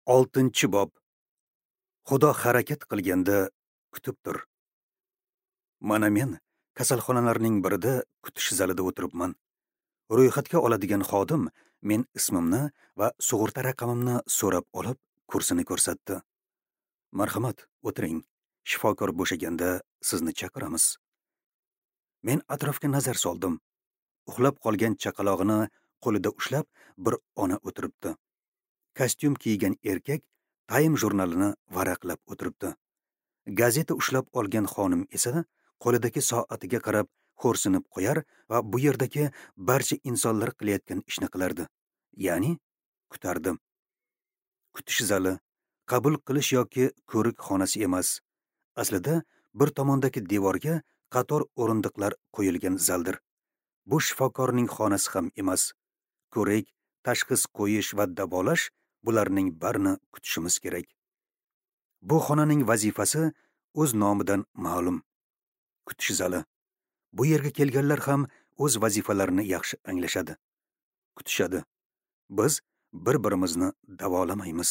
6-bob. Xudo harakat qilganda kutib tur. Mana men kasalxonalarning birida kutish zalida o'tiribman. Ro'yxatga oladigan xodim men ismimni va sug'urta raqamimni so'rab olib, kursini ko'rsatdi. Marhamat, o'tiring. Shifokor bo'shaganda sizni chaqiramiz. Men atrofga nazar soldim. Uxlab qolgan chaqalog'ini qo'lida ushlab bir ona o'tiribdi. Kostyum kiygan erkak Time jurnalini varaqlab o'tiribdi. Gazeta ushlab olgan xonim esa qo'lidagi soatiga qarab xo'rsinib qo'yar va bu yerdagi barcha insonlar qilayotgan ishni qilardi. Ya'ni kutardi. Kutish zali qabul qilish yoki ko'rik xonasi emas. Aslida bir tomondagi devorga qator o'rindiqlar qo'yilgan zaldir. Bu shifokorning xonasi ham emas. Ko'rik, tashxis qo'yish va davolash, bularning barini kutishimiz kerak. Bu xonaning vazifasi o'z nomidan ma'lum. Kutish zali. Bu yerga kelganlar ham o'z vazifalarini yaxshi anglashadi. Kutishadi. Biz bir-birimizni davolamaymiz.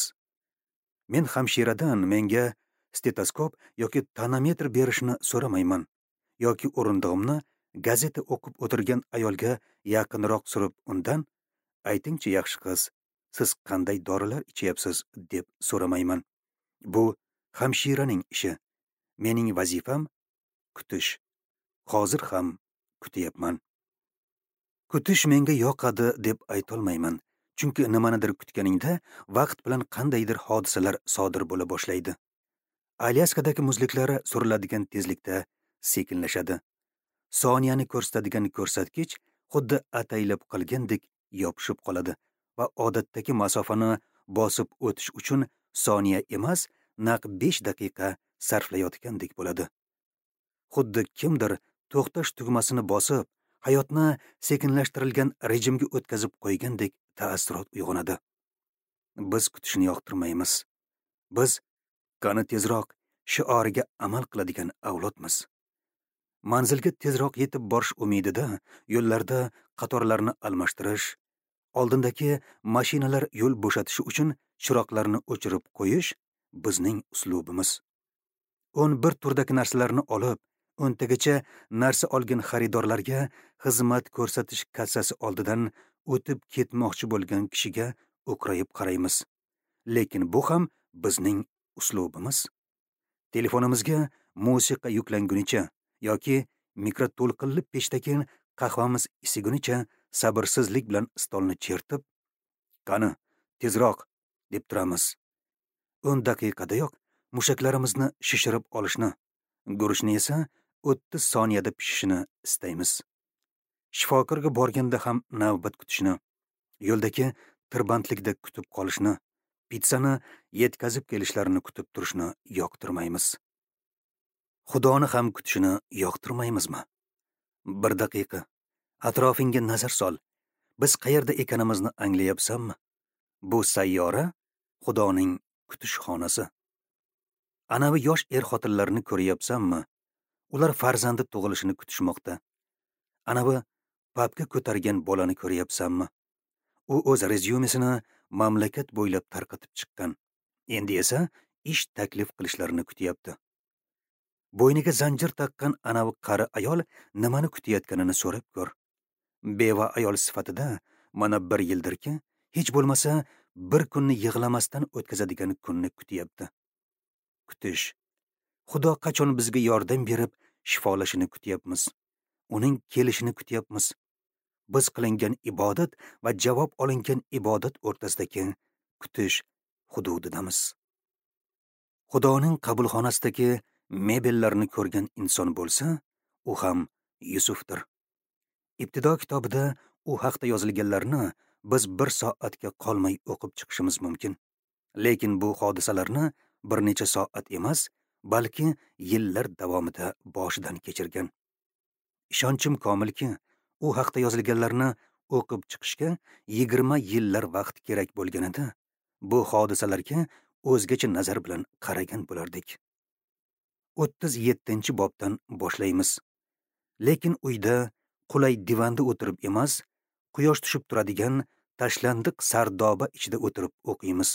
Men hamshiradan menga stetoskop yoki tonometr berishni so'ramayman yoki o'rindig'imni gazeta o'qib o'tirgan ayolga yaqinroq surib undan aytingchi yaxshi qiz, siz qanday dorilar ichyapsiz deb so'ramayman. Bu hamshiraning ishi. Mening vazifam kutish. Hozir ham kutyapman. Kutish menga yoqadi deb aytolmayman. Chunki nimanidir kutganingda vaqt bilan qandaydir hodisalar sodir bo'la boshlaydi. Alyaskadagi muzliklar suriladigan tezlikda sekinlashadi. Soniyani ko'rsatadigan ko'rsatkich xuddi ataylab qilgandek yopishib qoladi va odatdagi masofani bosib o'tish uchun soniya emas, naq 5 daqiqa sarflayotgandek bo'ladi. Xuddi kimdir to'xtash tugmasini bosib, hayotni sekinlashtirilgan rejimga o'tkazib qo'ygandek taassurot uyg'onadi. Biz kutishni yoqtirmaymiz. Biz qani tezroq shioriga amal qiladigan avlodmiz. Manzilga tezroq yetib borish umidida yo'llarda qatorlarni almashtirish, oldindagi mashinalar yo'l bo'shatishi uchun chiroqlarni o'chirib qo'yish bizning uslubimiz. 11 turdagi narsalarni olib, 10 tagacha narsa olgan xaridorlarga xizmat ko'rsatish kassasi oldidan o'tib ketmoqchi bo'lgan kishiga o'qrayib qaraymiz. Lekin bu ham bizning uslubimiz. Telefonimizga musiqa yuklangunicha yoki mikroto'lqinli pechdagi qahvamiz isigunicha sabrsizlik bilan stolni chertib, qani, tezroq deb turamiz. 10 daqiqadayoq mushaklarimizni shishirib olishni, guruchni esa 30 soniyada pishishini istaymiz. Shifokorga borganda ham navbat kutishni, yo'ldagi tirbandlikda kutib qolishni, pitsani yetkazib kelishlarini kutib turishni yoqtirmaymiz. Xudoni ham kutishini yoqtirmaymizmi? Bir daqiqa atrofingga nazar sol. Biz qayerda ekanimizni anglayapsanmi? Bu sayyora Xudoning kutish xonasi. Anavi yosh er-xotinlarni ko'ryapsanmi? Ular farzandi tug'ilishini kutishmoqda. Anavi papka ko'targan bolani ko'ryapsanmi? U o'z rezyumesini mamlakat bo'ylab tarqatib chiqqan. Endi esa ish taklif qilishlarini kutyapti. Bo'yniga zanjir taqqan anavi qari ayol nimani kutayotganini so'rab ko'r. Beva ayol sifatida mana bir yildirki, hech bo'lmasa bir kunni yig'lamasdan o'tkazadigan kunni kutyapti. Kutish. Xudo qachon bizga yordam berib shifolashini kutyapmiz. Uning kelishini kutyapmiz. Biz qilingan ibodat va javob olingan ibodat o'rtasidagi kutish hududidamiz. Xudoning qabulxonasidagi mebellarni ko'rgan inson bo'lsa, u ham Yusufdir. Ibtido kitobida u haqda yozilganlarni biz bir soatga qolmay o'qib chiqishimiz mumkin. Lekin bu hodisalarni bir necha soat emas, balki yillar davomida boshidan kechirgan. Ishonchim komilki, u haqda yozilganlarni o'qib chiqishga 20 yillar vaqt kerak bo'lganida, bu hodisalarga o'zgacha nazar bilan qaragan bo'lardik. 37-bobdan boshlaymiz. Lekin uyda qulay divanda o'tirib emas, quyosh tushib turadigan tashlandiq sardoba ichida o'tirib o'qiymiz.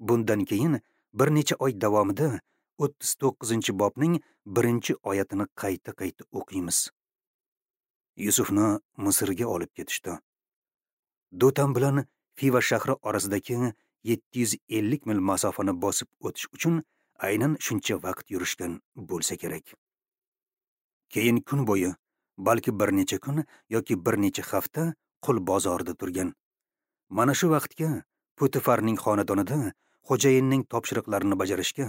Bundan keyin bir necha oy davomida 39-bobning 1-oyatini qayta-qayta o'qiymiz. Yusufni Misrga olib ketishdi. Dotan bilan Fiva shahri orasidagi 750 mil masofani bosib o'tish uchun aynan shuncha vaqt yurishgan bo'lsa kerak. Keyin kun bo'yi, balki bir necha kun yoki bir necha hafta qul bozorida turgan. Mana shu vaqtga Potifarning xonadonida xo'jayinning topshiriqlarini bajarishga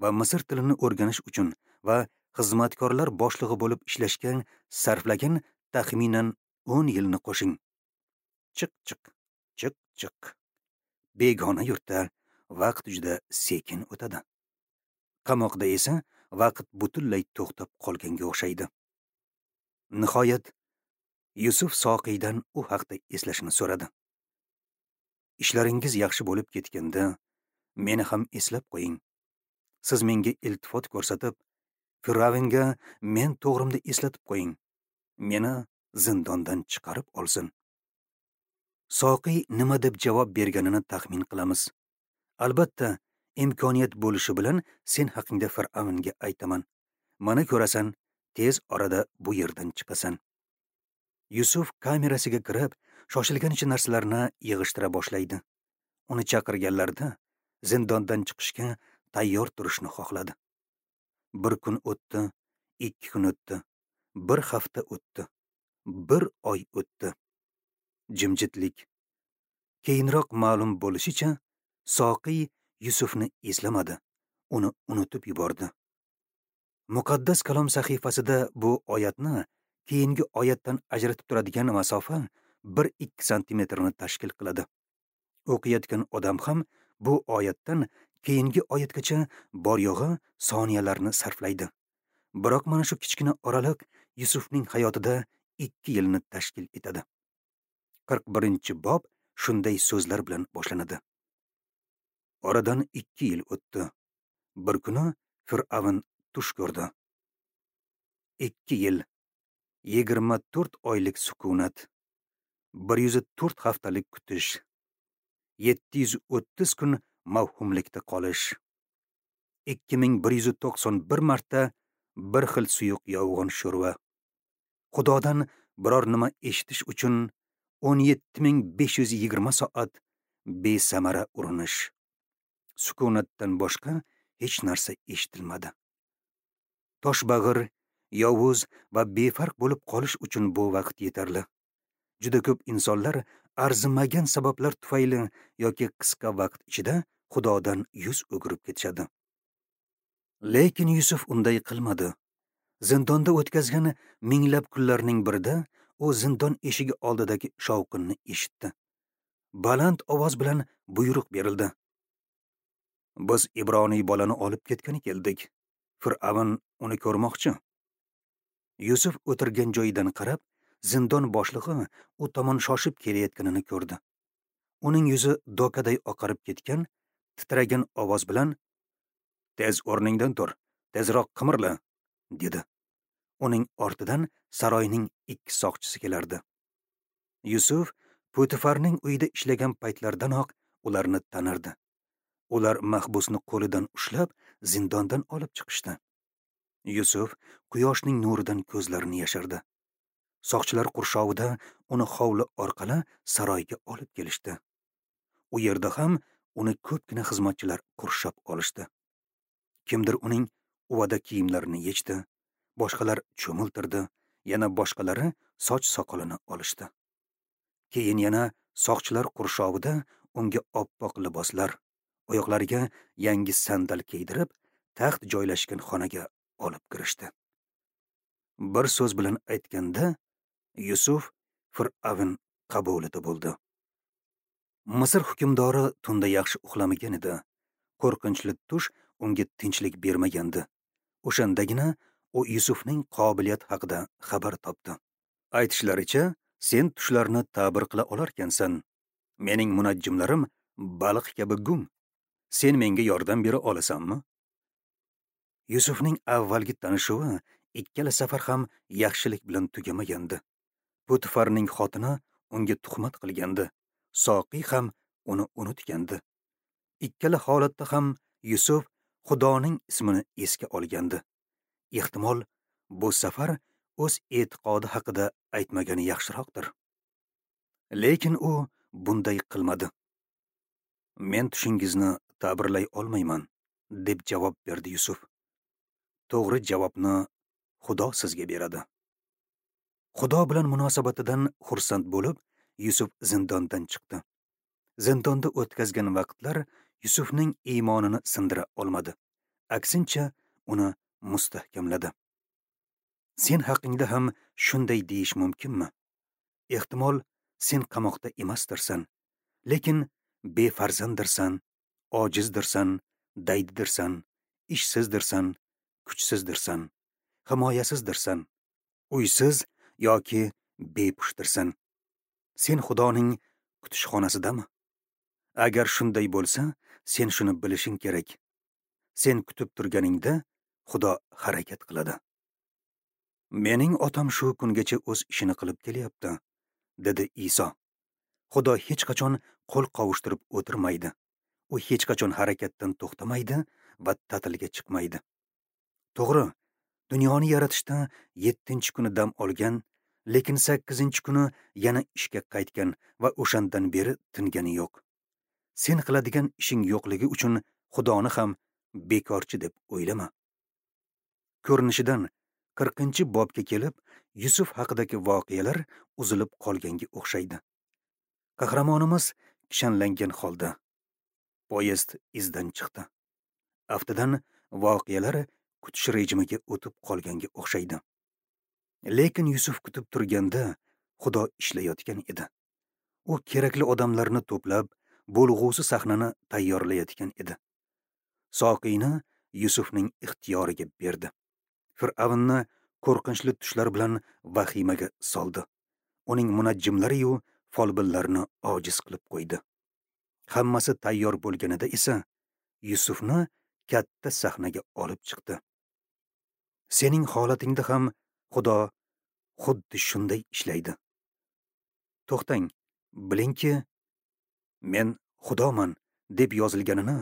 va Misr tilini o'rganish uchun va xizmatkorlar boshlig'i bo'lib ishlashga sarflagan taxminan 10 yilni qo'shing. Chiq chiq, chiq chiq. Begona yurtda vaqt juda sekin o'tadi. Qamoqda esa vaqt butunlay to'xtab qolganga o'xshaydi. Nihoyat Yusuf soqiydan u haqda eslashini so'radi. Ishlaringiz yaxshi bo'lib ketganda meni ham eslab qo'ying. Siz menga iltifot ko'rsatib, Fir'avnga men to'g'rimda eslatib qo'ying. Meni zindondan chiqarib olsin. Soqiy nima deb javob berganini taxmin qilamiz. Albatta, imkoniyat bo'lishi bilan sen haqingda Fir'avnga aytaman. Mana ko'rasan, tez orada bu yerdan chiqasan. Yusuf kamerasiga kirib, shoshilganicha narsalarni yig'ishtira boshlaydi. Uni chaqirganlarda zindondan chiqishga tayyor turishni xohladi. Bir kun o'tdi, 2 kun o'tdi, bir hafta o'tdi, bir oy o'tdi. Jimjitlik. Keyinroq ma'lum bo'lishicha, Soqiy Yusufni eslamadi, uni unutib yubordi. Muqaddas kalom sahifasida bu oyatni keyingi oyatdan ajratib turadigan masofa 1-2 santimetrni tashkil qiladi. O'qiyotgan odam ham bu oyatdan keyingi oyatgacha bor yo'g'i soniyalarni sarflaydi. Biroq mana shu kichkina oraliq Yusufning hayotida 2 yilni tashkil etadi. 41-bob shunday so'zlar bilan boshlanadi. Oradan 2 yil o'tdi. Bir kuni Fir'avn tush ko'rdi. 2 yil, 24 oylik sukunat, 104 haftalik kutish, 730 kun mavhumlikda qolish, 2191 marta bir xil suyuq yovg'on sho'rva. Xudodan biror nima eshitish uchun 17520 soat besamara urinish. Sukunatdan boshqa hech narsa eshitilmadi. Toshbag'ir, yovuz va befarq bo'lib qolish uchun bu vaqt yetarli. Juda ko'p insonlar arzimagan sabablar tufayli yoki qisqa vaqt ichida Xudodan yuz o'girib ketishadi. Lekin Yusuf unday qilmadi. Zindonda o'tkazgan minglab kunlarning birida u zindon eshigi oldidagi shovqinni eshitdi. Baland ovoz bilan buyruq berildi. Biz Ibroniy bolani olib ketgani keldik. Fir'avn uni ko'rmoqchi. Yusuf o'tirgan joyidan qarab, zindon boshlig'i u tomon shoshib kelayotganini ko'rdi. Uning yuzi dokaday oqarib ketgan, titragan ovoz bilan: "Tez o'rningdan tur, tezroq qimirla", dedi. Uning ortidan saroyning 2 soqchisi kelardi. Yusuf Potifarning uyida ishlagan paytlardanoq ularni tanirdi. Ular mahbusni qo'lidan ushlab zindondan olib chiqishdi. Yusuf quyoshning nuridan ko'zlarini yashirdi. Soqchilar qurshovida uni hovli orqali saroyga olib kelishdi. U yerda ham uni ko'pgina xizmatchilar qurshab olishdi. Kimdir uning uvada kiyimlarini yechdi, boshqalar cho'miltirdi, yana boshqalari soch soqolini olishdi. Keyin yana soqchilar qurshovida unga oppoq liboslar, oyoqlariga yangi sandal kiydirib, taxt joylashgan xonaga olib kirishdi. Bir so'z bilan aytganda, Yusuf Fir'avn qabulida bo'ldi. Misr hukmdori tunda yaxshi uxlamagan edi. Qo'rqinchli tush unga tinchlik bermagandi. O'shandagina u Yusufning qobiliyati haqida xabar topdi. Aytishlaricha, sen tushlarni ta'bir qila olarkansan. Mening munajjimlarim baliq kabi gum. Sen menga yordam bera olasanmi? Yusufning avvalgi tanishuvi ikkala safar ham yaxshilik bilan tugamagandi. Potifarning xotini unga tuhmat qilgandi. Soqiy ham uni unutgandi. Ikkala holatda ham Yusuf Xudoning ismini esga olgandi. Ehtimol, bu safar o'z e'tiqodi haqida aytmagani yaxshiroqdir. Lekin u bunday qilmadi. Men tushingizni ta'birlay olmayman, deb javob berdi Yusuf. To'g'ri javobni Xudo sizga beradi. Xudo bilan munosabatidan xursand bo'lib, Yusuf zindondan chiqdi. Zindonda o'tkazgan vaqtlar Yusufning iymonini sindira olmadi. Aksincha, uni mustahkamladi. Sen haqingda ham shunday deyish mumkinmi? Ehtimol, sen qamoqda emasdirsan, lekin befarzanddirsan, ojizdirsan, daydidirsan, ishsizdirsan, kuchsizdirsan, himoyasizdirsan, uysiz yoki bepushtirsan. Sen Xudoning kutishxonasidami? Agar shunday bo'lsa, sen shuni bilishing kerak. Sen kutib turganingda Xudo harakat qiladi. Mening otam shu kungacha o'z ishini qilib kelyapti, dedi Iso. Xudo hech qachon qo'l qovushtirib o'tirmaydi. U hech qachon harakatdan to'xtamaydi va ta'tilga chiqmaydi. To'g'ri, dunyoni yaratishda 7-kuni dam olgan, lekin 8-kuni yana ishga qaytgan va o'shandan beri tingani yo'q. Sen qiladigan ishing yo'qligi uchun Xudoni ham bekorchi deb o'ylama. Ko'rinishidan 40-bobga kelib, Yusuf haqidagi voqealar uzilib qolganga o'xshaydi. Qahramonimiz kishanlangan holda poyezd izdan chiqdi. Aftidan voqealar kutish rejimiga o'tib qolganga o'xshaydi. Lekin Yusuf kutib turganda Xudo ishlayotgan edi. U kerakli odamlarni to'plab, bo'lg'usi sahnani tayyorlayotgan edi. Soqiyni Yusufning ixtiyoriga berdi. Fir'avnni qo'rqinchli tushlar bilan vahimaga soldi. Uning munajjimlari-yu folbinlarni ojiz qilib qo'ydi. Hammasi tayyor bo'lganida esa Yusufni katta sahnaga olib chiqdi. Sening holatingda ham Xudo xuddi shunday ishlaydi. To'xtang, bilingki, men Xudoman deb yozilganini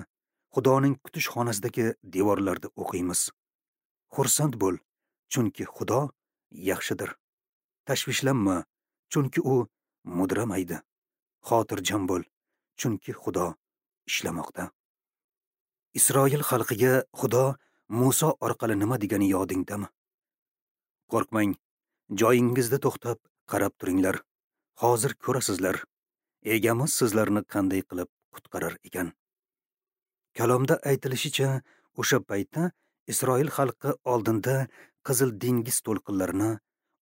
Xudoning kutish xonasidagi devorlarda o'qiymiz. Xursand bo'l, chunki Xudo yaxshidir. Tashvishlanma, chunki u mudramaydi. Xotirjam bo'l, chunki Xudo ishlamoqda. Isroil xalqiga Xudo Muso orqali nima degani yodingdami? Qo'rqmang, joyingizda to'xtab qarab turinglar. Hozir ko'rasizlar, egamiz sizlarni qanday qilib qutqarar ekan. Kalomda aytilishicha, o'sha paytda Isroil xalqi oldinda Qizil dengiz to'lqinlarini,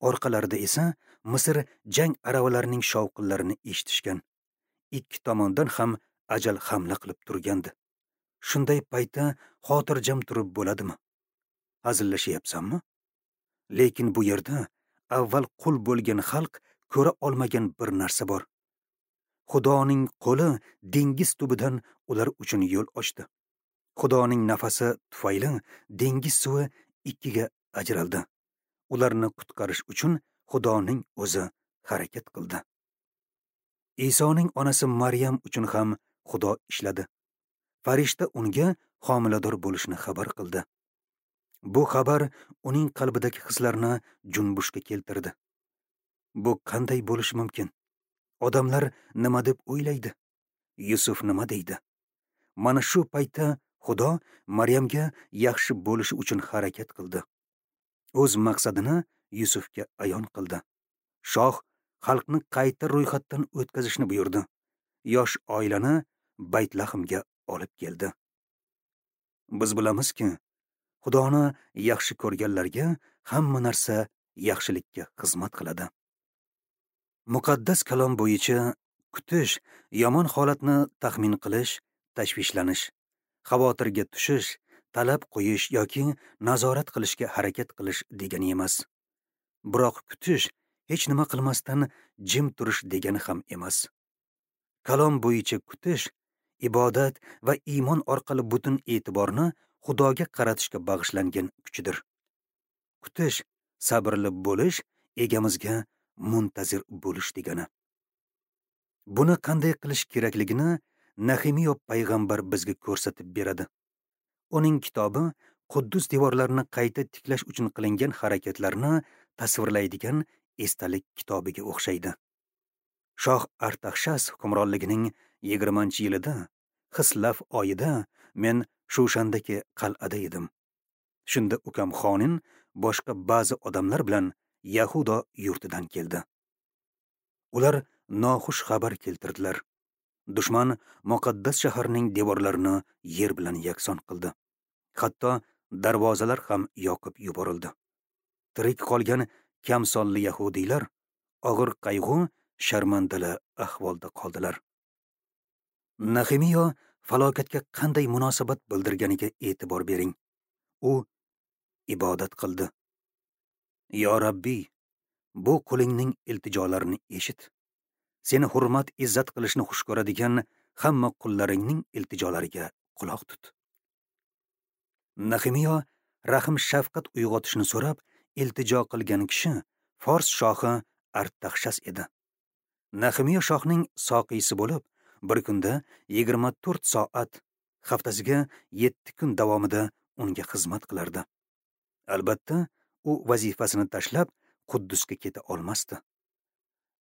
orqalarida esa Misr jang aravalarining shovqinlarini eshitishgan. Ikki tomondan ham ajal hamla qilib turgandi. Shunday paytda xotirjam turib bo'ladimi? Hazillashyapsanmi? Lekin bu yerda avval qul bo'lgan xalq ko'ra olmagan bir narsa bor. Xudoning qo'li dengiz tubidan ular uchun yo'l ochdi. Xudoning nafasi tufayli dengiz suvi ikkiga ajraldi. Ularni qutqarish uchun Xudoning o'zi harakat qildi. Isoning onasi Maryam uchun ham Xudo ishladi. Farishta unga homilador bo'lishini xabar qildi. Bu xabar uning qalbidagi hislarni junbushga keltirdi. Bu qanday bo'lishi mumkin? Odamlar nima deb o'ylaydi? Yusuf nima deydi? Mana shu paytda Xudo Maryamga yaxshi bo'lishi uchun harakat qildi. O'z maqsadini Yusufga ayon qildi. Shoh xalqni qayta ro'yxatdan o'tkazishni buyurdi. Yosh oilani Baytlahmga olib keldi. Biz bilamizki, Xudoni yaxshi ko'rganlarga hamma narsa yaxshilikka xizmat qiladi. Muqaddas kalom bo'yicha kutish, yomon holatni taxmin qilish, tashvishlanish, xavotirga tushish, talab qo'yish yoki nazorat qilishga harakat qilish degani emas. Biroq kutish hech nima qilmasdan jim turish degani ham emas. Kalom bo'yicha kutish ibodat va iymon orqali butun e'tiborni Xudoga qaratishga bag'ishlangan kuchdir. Kutish, sabrli bo'lish, egamizga muntazir bo'lish degani. Buni qanday qilish kerakligini Nexemiya payg'ambar bizga ko'rsatib beradi. Uning kitobi Quddus devorlarini qayta tiklash uchun qilingan harakatlarni tasvirlaydigan esdalik kitobiga o'xshaydi. Shoh Artaxshas hukmronligining 20-yilida, Xislaf oyida men Shushandagi qal'ada edim. Shunda ukam Xonin boshqa ba'zi odamlar bilan Yahudo yurtidan keldi. Ular noxush xabar keltirdilar. Dushman muqaddas shaharning devorlarini yer bilan yakson qildi. Hatto darvozalar ham yoqib yuborildi. Tirik qolgan kam sonli yahudiylar og'ir qayg'u, sharmandali ahvolda qoldilar. Nexemiya falokatga qanday munosabat bildirganiga e'tibor bering. U ibodat qildi. Yo Rabbi, bu qulingning iltijolarini eshit. Seni hurmat izzat qilishni xush ko'radigan hamma qullaringning iltijolariga quloq tut. Nexemiya rahm shafqat uyg'otishni so'rab iltijo qilgan kishi Fors shohi Artaxshas edi. Nexemiya shohning soqiysi bo'lib, bir kunda 24 soat, haftasiga 7 kun davomida unga xizmat qilardi. Albatta, u vazifasini tashlab Quddusga keta olmasdi.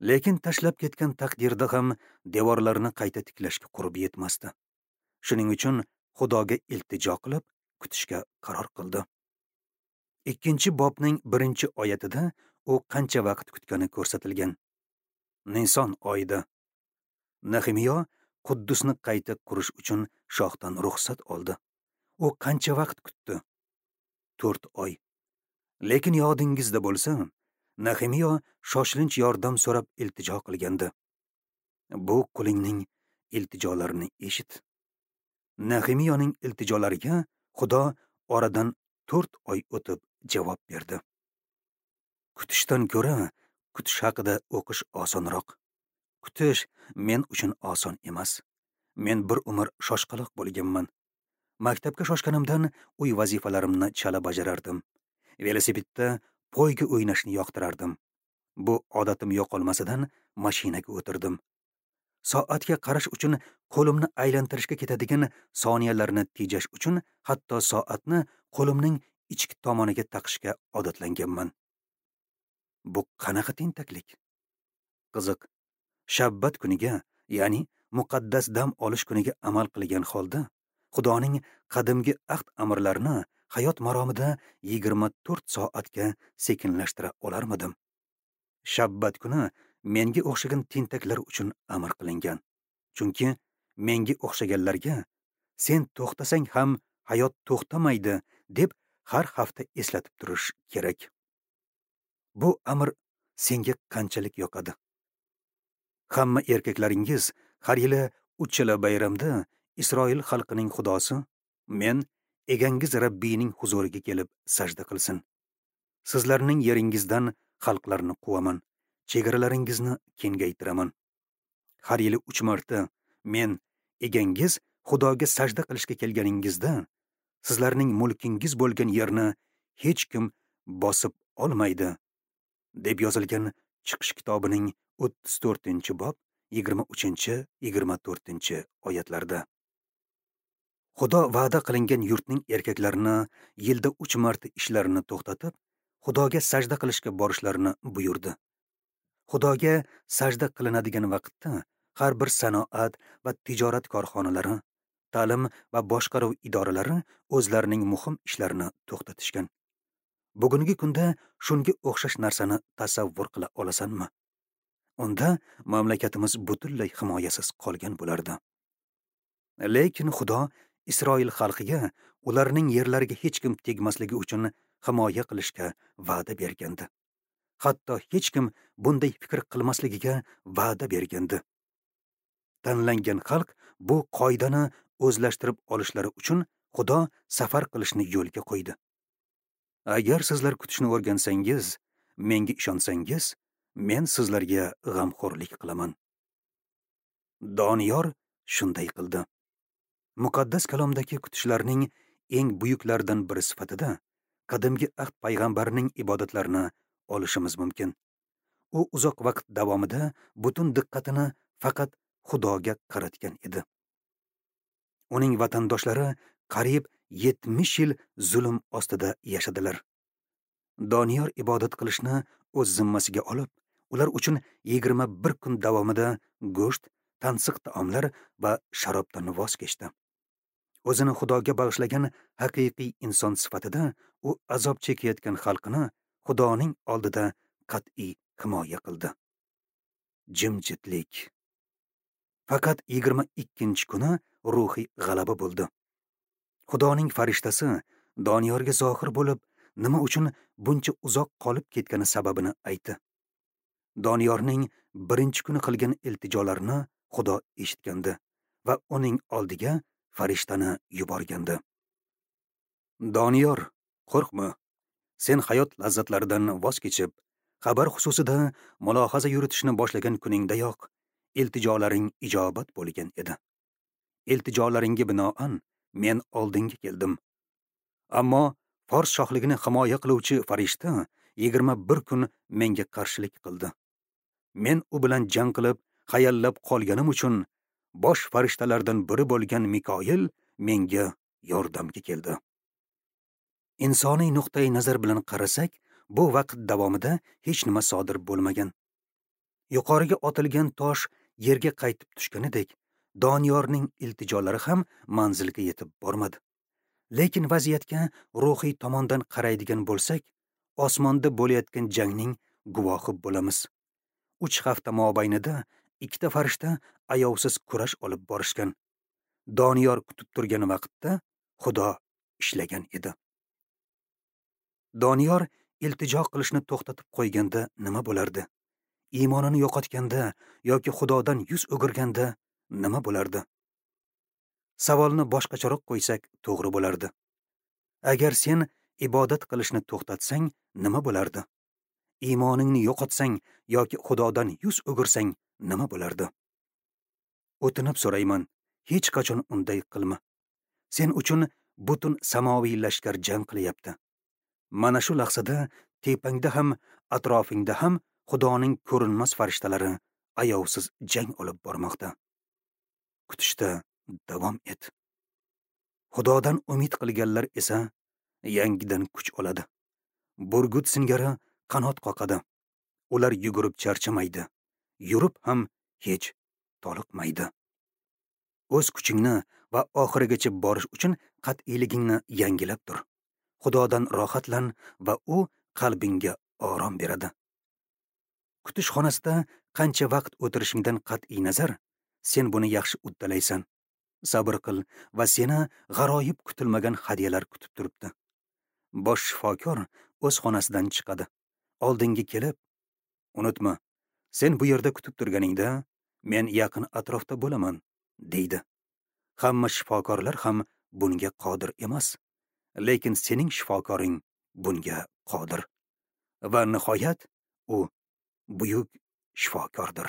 Lekin tashlab ketgan taqdirda ham devorlarni qayta tiklashga qurbi yetmasdi. Shuning uchun Xudoga iltijo qilib kutishga qaror qildi. 2-bobning 1-oyatida u qancha vaqt kutgani ko'rsatilgan. Nison oyida Nexemiya Quddusni qayta qurish uchun shohdan ruxsat oldi. U qancha vaqt kutdi? 4 oy. Lekin yodingizda bo'lsa, Nexemiya shoshilinch yordam so'rab iltijo qilgandi. Bu qulingning iltijolarini eshit. Nexemiyaning iltijolariga Xudo oradan 4 oy o'tib javob berdi. Kutishdan ko'ra kutish haqida o'qish osonroq. Kutish men uchun oson emas. Men bir umr shoshqaloq bo'lganman. Maktabga shoshganimdan uy vazifalarimni chala bajarardim. Velosipedda poyga o'ynashni yoqtirardim. Bu odatim yo'qolmasidan mashinaga o'tirdim. Soatga qarash uchun qo'limni aylantirishga ketadigan soniyalarni tejash uchun hatto soatni qo'limning ichki tomoniga taqishga odatlanganman. Bu qanaqa tentaklik? Qiziq, shabbat kuniga, ya'ni muqaddas dam olish kuniga amal qilgan holda Xudoning qadimgi ahd amrlarini hayot maromida 24 soatga sekinlashtira olarmidim? Shabbat kuni menga o'xshagan tentaklar uchun amr qilingan. Chunki menga o'xshaganlarga sen to'xtasang ham hayot to'xtamaydi deb har hafta eslatib turish kerak. Bu amr senga qanchalik yoqadi? Hamma erkaklaringiz har yili 3 yil bayramda Isroil xalqining xudosi men egangiz Rabbiyning huzuriga kelib sajda qilsin. Sizlarning yeringizdan xalqlarni quvaman, chegaralaringizni kengaytiraman. Har yili 3 marta men egangiz Xudoga sajda qilishga kelganingizda sizlarning mulkingiz bo'lgan yerni hech kim bosib olmaydi, deb yozilgan Chiqish kitobining 34-bob 23-24 oyatlarda. Xudo va'da qilingan yurtning erkaklarini yilda 3 marta ishlarini to'xtatib, Xudoga sajda qilishga borishlarini buyurdi. Xudoga sajda qilinadigan vaqtda har bir sanoat va tijorat korxonalari, ta'lim va boshqaruv idoralari o'zlarining muhim ishlarini to'xtatishgan. Bugungi kunda shunga o'xshash narsani tasavvur qila olasanmi? Unda mamlakatimiz butunlay himoyasiz qolgan bo'lardi. Lekin Xudo Isroil xalqiga ularning yerlariga hech kim tegmasligi uchun himoya qilishga va'da bergandi. Hatto hech kim bunday fikr qilmasligiga va'da bergandi. Tanlangan xalq bu qoidani o'zlashtirib olishlari uchun Xudo safar qilishni yo'lga qo'ydi. Agar sizlar kutishni o'rgansangiz, menga ishonsangiz, men sizlarga g'amxo'rlik qilaman. Doniyor shunday qildi. Muqaddas kalomdagi kutishlarning eng buyuklaridan biri sifatida qadimgi ahd payg'ambarining ibodatlarini olishimiz mumkin. U uzoq vaqt davomida butun diqqatini faqat Xudoga qaratgan edi. Uning vatandoshlari qariyb 70 yil zulm ostida yashadilar. Doniyor ibodat qilishni o'z zimmasiga olib, ular uchun 21 kun davomida go'sht, tansiq taomlar va sharobdan voz kechdi. O'zini Xudoga bag'ishlagan haqiqiy inson sifatida u azob chekayotgan xalqini Xudoning oldida qat'iy himoya qildi. Jimjitlik. Faqat 22-kuni ruhiy g'alaba bo'ldi. Xudoning farishtasi Doniyorga zohir bo'lib, nima uchun buncha uzoq qolib ketgani sababini aytdi. Doniyorning birinchi kuni qilgan iltijolarini Xudo eshitgandi va uning oldiga farishtani yuborgandi. Doniyor, qo'rqma. Sen hayot lazzatlaridan voz kechib, xabar xususida mulohaza yuritishni boshlagan kuningdayoq iltijolaring ijobat bo'lgan edi. Iltijolaringga binoan men oldinga keldim. Ammo Fors shohligini himoya qiluvchi farishta 21 kun menga qarshilik qildi. Men u bilan jang qilib, hayallab qolganim uchun bosh farishtalardan biri bo'lgan Mikoyil menga yordamga keldi. Insoniy nuqtai nazar bilan qarasak, bu vaqt davomida hech nima sodir bo'lmagan. Yuqoriga otilgan tosh yerga qaytib tushganidek, Doniyorning iltijolari ham manzilga yetib bormadi. Lekin vaziyatga ruhiy tomondan qaraydigan bo'lsak, osmonda bo'layotgan jangning guvohi bo'lamiz. 3 hafta mobaynida ikkita farishta ayovsiz kurash olib borishgan. Doniyor kutib turgan vaqtda Xudo ishlagan edi. Doniyor iltijo qilishni to'xtatib qo'yganda nima bo'lardi? Iymonini yo'qotganda yoki Xudodan yuz o'girganda nima bo'lardi? Savolni boshqacharoq qo'ysak to'g'ri bo'lardi. Agar sen ibodat qilishni to'xtatsang, nima bo'lardi? Iymoningni yo'qotsang yoki Xudodan yuz o'girsang nima bo'lardi? O'tinib so'rayman, hech qachon unday qilma. Sen uchun butun samoviy lashkar jang qilyapti. Mana shu lahzada tepangda ham, atrofingda ham Xudoning ko'rinmas farishtalari ayovsiz jang olib bormoqda. Kutishda davom et. Xudodan umid qilganlar esa yangidan kuch oladi. Burgut singari qanot qoqadi. Ular yugurib charchamaydi, yurib ham hech toliqmaydi. O'z kuchingni va oxirigacha borish uchun qat'iyligingni yangilab tur. Xudodan rohatlan va u qalbingga orom beradi. Kutish xonasida qancha vaqt o'tirishingdan qat'iy nazar, sen buni yaxshi uddalaysan. Sabr qil va seni g'aroyib kutilmagan hadyalar kutib turibdi. Bosh shifokor o'z xonasidan chiqadi. Oldinga kelib, unutma, sen bu yerda kutib turganingda men yaqin atrofda bo'laman, deydi. Hamma shifokorlar ham bunga qodir emas, lekin sening shifokoring bunga qodir. Va nihoyat u buyuk shifokordir.